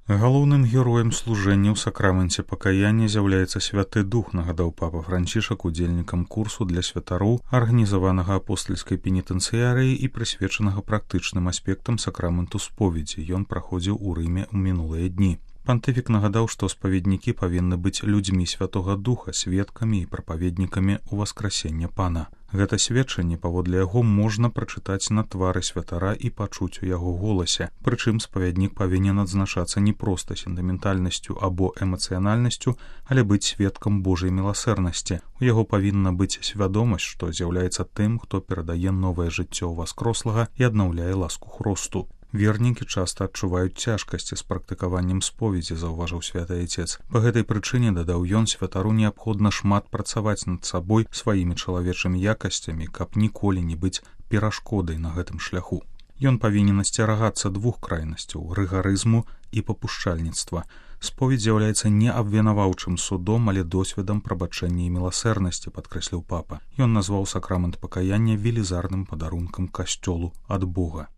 Галоўным героем служэння ў сакраменце пакаяння з'яўляецца святы дух, нагадаў папа Францішак удзельнікам курсу для святароў, арганізаванага апостальскай пенітэнцыярыяй і прысвечанага практычным аспектам сакраменту споведзі. Ён праходзіў у Рыме ў мінулыя дні. Пантыфік нагадаў, што спаведнікі павінны быць людзьмі святога духа, сведкамі і прапаведнікамі ўваскрасення Пана. Гэта сведчанне, паводле яго, можна прачытаць на твары святара і пачуць у яго голасе. Прычым спавяднік павінен адзначацца не проста сентыментальнасцю або эмацыянальнасцю, але быць сведкам Божай міласэрнасці. У яго павінна быць свядомасць, што з'яўляецца тым, хто перадае новае жыццё васкрослага і аднаўляе ласку Хросту. Вернікі часта адчуваюць цяжкасці з практыкаваннем споведзі, заўважыў святы айцец. Па гэтай прычыне, дадаў ён, святару неабходна шмат працаваць над сабой сваімі чалавечымі якасцямі, каб ніколі не быць перашкодай на гэтым шляху. Ён павінен асцерагацца двух крайнасцяў – рыгарызму і папушчальніцтва. Споведь з'яўляецца не абвінаваўчым судом, але досведам прабачэння і міласэрнасці, падкрэсліў папа. Ён назваў сакрамент пакаяння велізарным падарункам касцёлу ад Бога.